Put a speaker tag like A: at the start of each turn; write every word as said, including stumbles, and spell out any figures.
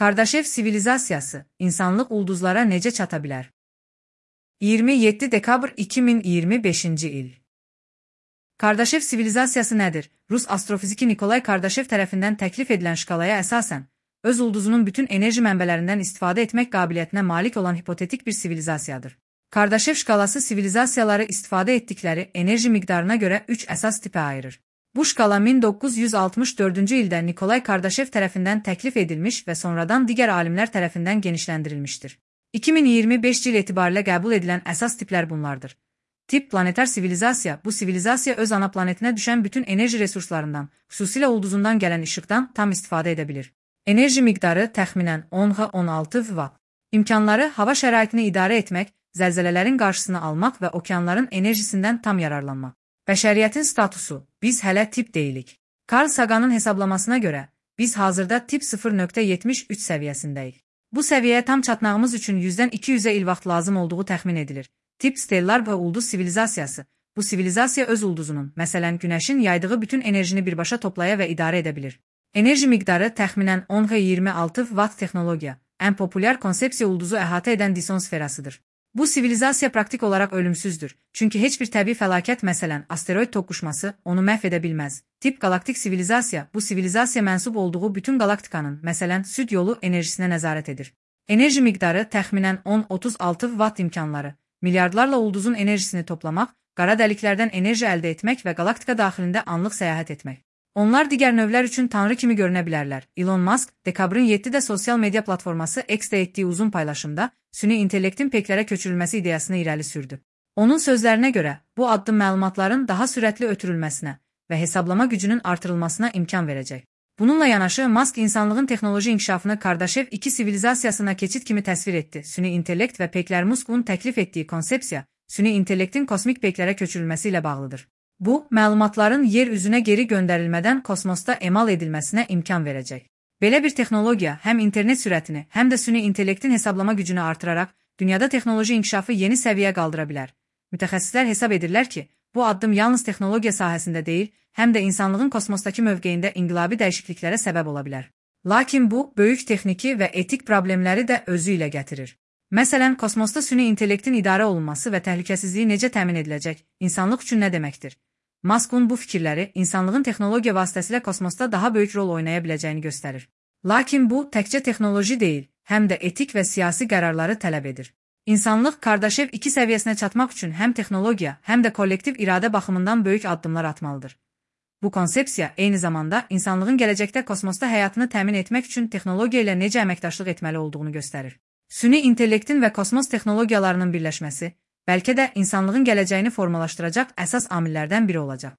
A: Kardashev sivilizasiyası, insanlıq ulduzlara necə çata bilər? iyirmi yeddi dekabr iki min iyirmi beşinci il. Kardashev sivilizasiyası nədir? Rus astrofiziki Nikolay Kardashev tərəfindən təklif edilən şkalaya əsasən, öz ulduzunun bütün enerji mənbələrindən istifadə etmək qabiliyyətinə malik olan hipotetik bir sivilizasiyadır. Kardashev şkalası sivilizasiyaları istifadə etdikləri enerji miqdarına görə üç əsas tipə ayırır. Bu şkala min doqquz yüz altmış dördüncü ildə Nikolay Kardashev tərəfindən təklif edilmiş və sonradan digər alimlər tərəfindən genişləndirilmişdir. iki min iyirmi beşinci il etibarilə qəbul edilən əsas tiplər bunlardır. Tip planetar sivilizasiya, bu sivilizasiya öz ana planetinə düşən bütün enerji resurslarından, xüsusilə ulduzundan gələn işıqdan tam istifadə edə bilir. Enerji miqdarı təxminən on on altı vatt. İmkanları hava şəraitini idarə etmək, zəlzələlərin qarşısını almaq və okeanların enerjisindən tam yararlanmaq. Bəşəriyyətin statusu, biz hələ tip deyilik. Carl Sagan'ın hesablamasına görə, biz hazırda tip sıfır nöqtə yetmiş üç səviyyəsindəyik. Bu səviyyəyə tam çatmağımız üçün yüzdən iki yüzə il vaxt lazım olduğu təxmin edilir. Tip stellar və ulduz sivilizasiyası, bu sivilizasiya öz ulduzunun, məsələn Günəşin yaydığı bütün enerjini birbaşa toplaya və idarə edə bilir. Enerji miqdarı təxminən on iyirmi altı vatt texnologiya, ən populyar konsepsiya ulduzu əhatə edən Dyson sferasıdır. Bu sivilizasiya praktik olaraq ölümsüzdür, çünki heç bir təbii fəlakət, məsələn, asteroid toqquşması, onu məhv edə bilməz. Tip galaktik sivilizasiya, bu sivilizasiya mənsub olduğu bütün galaktikanın, məsələn, süd yolu enerjisinə nəzarət edir. Enerji miqdarı təxminən on otuz altı vatt imkanları, milyardlarla ulduzun enerjisini toplamaq, qara dəliklərdən enerji əldə etmək və galaktika daxilində anlıq səyahət etmək. Onlar digər növlər üçün tanrı kimi görünə bilərlər. Elon Musk, dekabrın yeddidə sosial media platforması X-də etdiyi uzun paylaşımda süni intellektin peklərə köçürülməsi ideyasını irəli sürdü. Onun sözlərinə görə, bu addım məlumatların daha sürətli ötürülməsinə və hesablama gücünün artırılmasına imkan verəcək. Bununla yanaşı, Musk insanlığın texnoloji inkişafını Kardashev iki sivilizasiyasına keçid kimi təsvir etdi. Süni intellekt və peklər Musk'un təklif etdiyi konsepsiya, süni intellektin kosmik peklərə köçürülməsi ilə bağlıdır. Bu, məlumatların yer üzünə geri göndərilmədən kosmosda emal edilməsinə imkan verəcək. Belə bir texnologiya həm internet sürətini, həm də süni intellektin hesablama gücünü artıraraq, dünyada texnoloji inkişafı yeni səviyyə qaldıra bilər. Mütəxəssislər hesab edirlər ki, bu addım yalnız texnologiya sahəsində deyil, həm də insanlığın kosmosdakı mövqeyində inqilabi dəyişikliklərə səbəb ola bilər. Lakin bu, böyük texniki və etik problemləri də özü ilə gətirir. Məsələn, kosmosda süni intellektin idarə olunması və təhlükəsizliyi necə təmin ediləcək, insanlıq üçün nə deməkdir? Musk'un bu fikirləri insanlığın texnologiya vasitəsilə kosmosda daha böyük rol oynaya biləcəyini göstərir. Lakin bu, təkcə texnoloji deyil, həm də etik və siyasi qərarları tələb edir. İnsanlıq Kardashev iki səviyyəsinə çatmaq üçün həm texnologiya, həm də kollektiv iradə baxımından böyük addımlar atmalıdır. Bu konsepsiya eyni zamanda insanlığın gələcəkdə kosmosda həyatını təmin etmək üçün texnologiya ilə necə əməkdaşlıq etməli olduğunu göstərir. Süni intellektin və kosmos texnologiyalarının birləşməsi, bəlkə də insanlığın gələcəyini formalaşdıracaq əsas amillərdən biri olacaq.